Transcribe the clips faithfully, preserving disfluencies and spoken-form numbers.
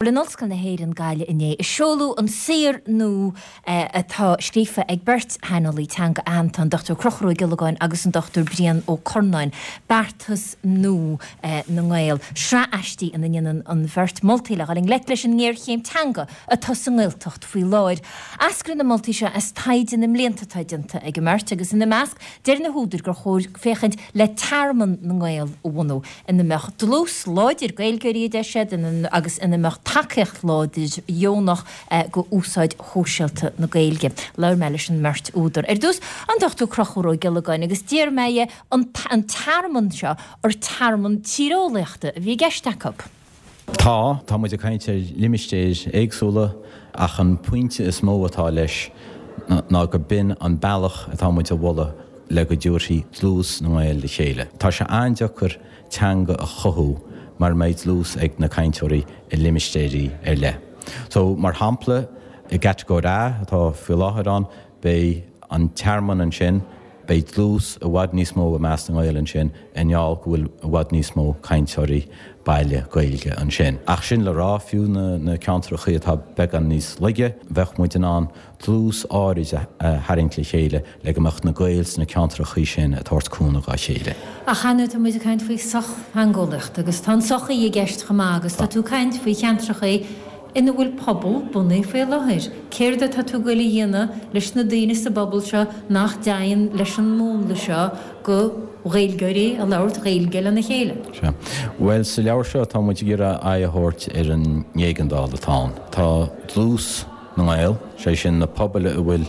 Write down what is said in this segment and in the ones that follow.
In Ollscoil na hÉireann Gaillimh inné a seoladh an saothar nua atá scríofa ag beirt shaineolaí teanga aitheanta, an Dochtúir Conchúr Ó Giollagáin agus an Dochtúir Brian Ó Curnáin, Beartas Nua na nGael, sraith aistí ina ndéanann an bheirt moltaí le dhul i ngleic leis an ngéarchéim teanga atá sa nGaeltacht faoi láthair. Eascraíonn na moltaí seo as taighde na mblianta atá déanta ag an mbeirt agus ina measc, deir na húdair gur chóir féachaint le Tearmann na nGael a bhunú ina mbeadh dlús láidir Gaeilgeoirí, a deir siad, agus ina mbeadh tacaíocht láidir dheonach go úsáid shóisialta na Gaeilge. Labhair mé leis an mbeirt údar. Ar dtús, an Dochtúir Conchúr Ó Giollagáin agus d'iarr mé dhe an an tearmann seo ar tearmann tíreolaíochta a bhí i gceist acu. Tá, tá muid ag caint ar limistéir éagsúla ach an pointe is mó atá leis ná go b'in an bealach atá muid a mholadh le go dtabharfaí dlús na nGael le chéile. Tá sé an-deacair teanga a chothú mura mbeidh dlús ag na cainteoirí i limistéirí ar leith. So, mar shampla, i gCatagóir A atá faoi láthair ann, beidh an tearmann ansin, beidh dlús i bhfad níos mó i measc na nGael ansin i ngeall go bhfuil i bhfad níos mó cainteoirí baile Gaeilge ansin. Ach sin le rá, fiú na na ceantrachaí atá beagán níos laige, bheadh muid in ann dlús áirid a tharraingt le chéile le go mbeadh na Gaeil sna ceantrachaí sin ag tabhairt cúnamh dhá chéile. Ach ar ndóigh tá muid ag caint faoi sochtheangeolaíocht agus tá an tsochaí i gceist chomh maith agus tá tú ag caint faoi cheantrachaí ina bhfuil pobal bunaithe faoi láthair. Céard atá tú ag goil a dhéanamh leis na daoine sa bpobal seo nach dtéann leis an múnla seo go Ghaeilgeoirí a labhairt Gaeilge lena chéile? Sea. Bhuel, sa leabhar seo tá muid ag iarraidh aghaidh a thabhairt ar an éigeandáil atá ann. Tá dlús na nGael, sé sin na pobail a bhfuil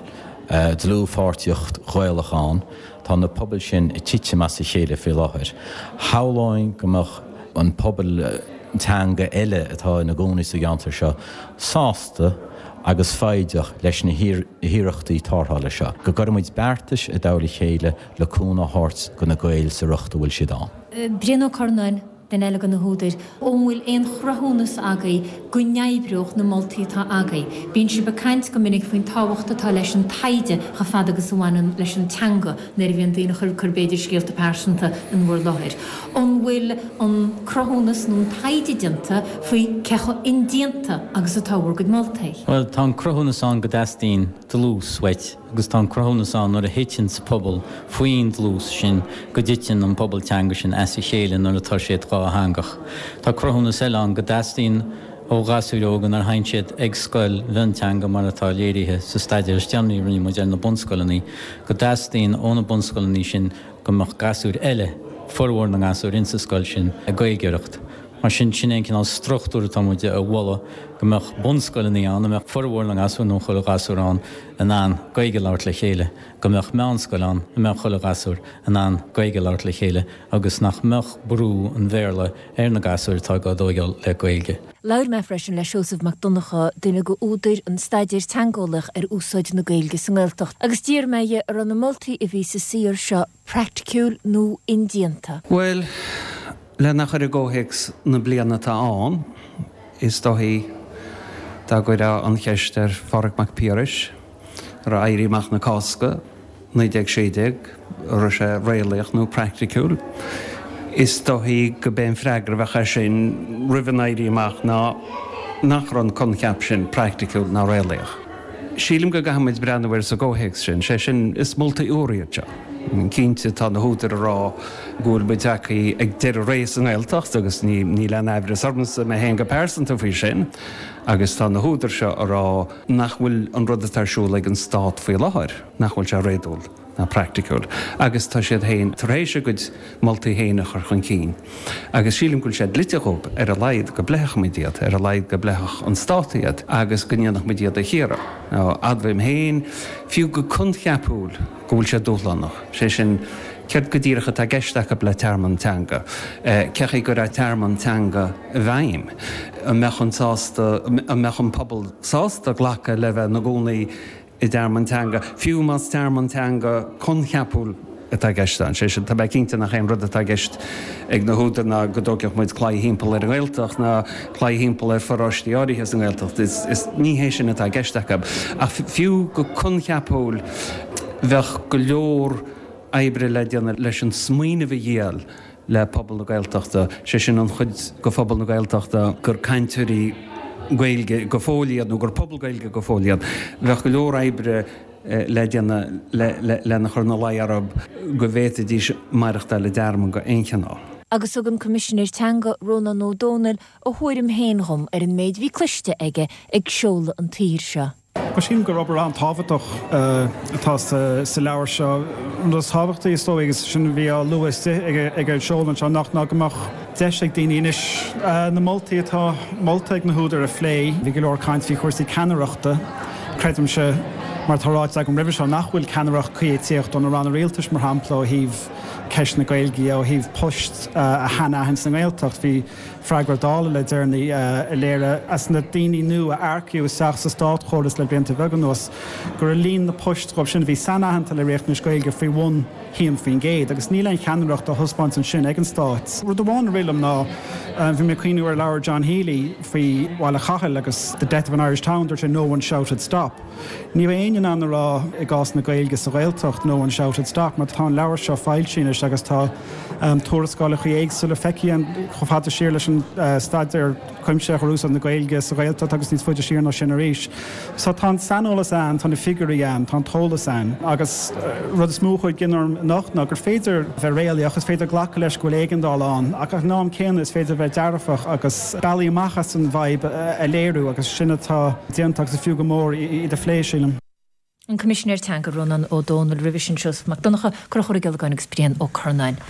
dlúthpháirtíocht Ghaelach ann, tá na pobail sin ag titim as a chéile faoi láthair. Shamhlóinn go mbeadh an pobal teanga eile atá ina gcónaí sa gceantar seo sásta agus foighdeach leis na hiarrachtaí tarrthála seo, go gcuirfidh muid beartais i dtoll a chéile le cúnamh a thabhairt do na Gaeil sa riocht a bhfuil siad ann. Brian Ó Curnáin, duine eile de na húdair, an bhfuil aon chruthúnas agaibh go n-oibreodh na moltaí atá agaibh? Bíonn sibh ag caint go minic faoin tábhacht atá leis an taighde chomh fada agus a bhaineann leis an teanga nuair a bhíonn daoine ag cur b'fhéidir scéalta pearsanta in bhur láthair. An bhfuil an cruthúnas nó an taighde déanta faoi cé chomh indéanta agus atá bhur gcuid moltaí? Bhuel, tá an cruthúnas ann go dteastaíonn dlús uait. Agus tá an cruthúnas ann nuair a thiteanns pobal faoin dlús sin go dtiteann an pobal teanga sin as a chéile nuair atá siad dhátheangach. Tá cruthúnas eile ann go dteastaíonn ó ghasúir óga nuair a théann siad ag scoil mhionteanga mar atá léirithe sa staidéar is déanaí a rinne muid ar na bunscoileanna, go dteastaíonn ó na bunscoileanna sin go mbeadh gasúir eile, formhór na ngasúr insa scoil sin, ag Gaeilgeoireacht. Mar sin, sin é an cineál struchtúir atá muid a mholadh, go mbeadh bunscoileanna ann a mbeadh formhór na ngasúr nó chuile ghasúr ann in ann Gaeilge a labhairt le chéile, go mbeadh meánscoil ann a mbeadh chuile ghasúr in ann Gaeilge a labhairt le chéile agus nach mbeadh brú an Bhéarla ar na gasúir atá á dtóigeáil le Gaeilge. Labhair mé freisin le Seosamh Mac Donncha, duine de údair an staidéir teangeolaíoch ar úsáid na Gaeilge sa nGaeltacht, agus d'iarr mé dhe an raibh na moltaí a bhí sa saothar seo praiticiúil nó indéanta. Bhuel, lena chur i gcomhthéacs na bliana atá ann, is dóichí dá gcuirfeá an cheist ar Phádraig Mac Piarais, an raibh Éirí Amach na Cásca, naoi déag sé déag, an raibh sé réalaíoch nó praiticiúil, is dóichí go b'é an freagra a bheadh air sin roimh an Éirí Amach ná nach raibh an coincheap sin praiticiúil ná réalaíoch. Sílim go gcaithfidh muid breathnú air sa gcomhthéacs sin, sé sin, is moltaí úra iad seo. Cinnte, tá na húdair ag rá go bhfuil muid tagtha ag deireadh ré sa nGaeltacht agus níl aon aimhreas ormsa mé féin go pearsanta faoi sin agus tá na húdair seo ag rá nach bhfuil an rud atá ar siúl ag an Stát faoi láthair, nach bhfuil sé réadúil ná praiticiúil agus tá siad féin tar éis a gcuid moltaí féin a chur chun cinn agus sílim go bhfuil sé dlite dhóibh ar a laghad go bpléifeadh muid iad, ar a laghad go bpléifeadh an Stát iad agus go ndéanfadh muid iad a chíoradh. Now, admhaím féin, fiú go coincheapúil, go bhfuil sé dúshlánach, sé sin, céard go díreach atá i gceist acu le tearmann teanga? Cé chaoi a gcuirfeá tearmann teanga i bhfeidhm? An mbeadh an sásta, an mbeadh an pobal sásta glacadh le bheith ina gcónaí i dtearmann teanga, fiú más tearmann teanga coincheapúil atá i gceist ann. Sé sin, tá mé cinnte nach é an rud atá i gceist ag na húdair ná go dtógfadh muid claí thimpeall ar an nGaeltacht ná claí thimpeall ar pharóistí áirithe sa nGaeltacht. Is, is, ní hé sin atá i gceist acu. Ach fiú go coincheapúil, bheadh go leor oibre le déanamh leis an smaoineamh a dhíol le pobal na Gaeltachta, sé sin an chuid de phobal na Gaeltachta gur cainteoirí Gaeilge go fóill iad nó gur pobal Gaeilge go fóill iad, bheadh go leor oibre le déanamh lena chur ina luí orthu go bhféadfaidís maireachtáil i dtearmann go aon chineál. Agus thug an Coimisinéir Teanga, Rónán Ó Domhnaill, a thuairim féin dhom ar an méid a bhí cloiste aige ag seoladh an tsaothair seo. Bhuel, sílim gur obair an-tábhachtach atá sa leabhar seo. An rud is tábhachtaí, is dóigh, agus sin a bhí á lua istigh ag an seoladh anseo anocht, ná go mbeadh deis ag daoine anois na moltaí atá molta ag na húdair a phlé. Bhí go leor caint faoi chúrsaí ceannaireachta. Creidimse, mar atá ráite agam roimhe seo, nach bhfuil ceannaireacht cuí ag tíocht ó na ranna rialtais, mar shampla, ó thaobh ceist na Gaeilge dhe, ó thaobh poist a shainaithint sa nGaeltacht. Bhí freagra Dála le deireanaí a léirigh, as na daoine nua a earcaíodh isteach sa státchóras le blianta beaga anuas, go raibh líon na poist dhóibh sin a bhí sainaitheanta le riachtanais Gaeilge faoi bhun haon faoin gcéad, agus níl aon cheannaireacht á thaispeáint ansin ag an Stát. Rud amháin a rith liom ná, bhí mé ag cuimhniú ar leabhar John Healy faoi Bhaile Chathail agus The Death of an Irish Town, dúirt sé no one shouted stop. Ní bheidh éinne in ann a rá i gcás na Gaeilge sa Ghaeltacht no one shouted stop mar tá an leabhar seo foilsithe anois agus tá tuarascálacha éagsúla feicthe chomh fada siar leis an staidéar cuimsitheach ar úsáid na Gaeilge sa Ghaeltacht agus níos faide siar ná sin arís. So tá an saineolas ann, tá na figiúirí ann, tá an t-eolas ann agus rud is mó a chuaigh i gcion orm anocht ná gur féidir bheith réalaíoch, is féidir glacadh leis go bhfuil éigeandáil ann ach ag an am céanna is féidir bheith dearfach agus bealaí amach as an bhfadhb a léiriú agus sin atá déanta agus is fiú go mór iad a phlé, sílim. An Coimisinéir Teanga, Rónán Ó Domhnaill, roimhe sin Seosamh Mac Donncha, Conchúr Ó Giollagáin agus Brian Ó Curnáin.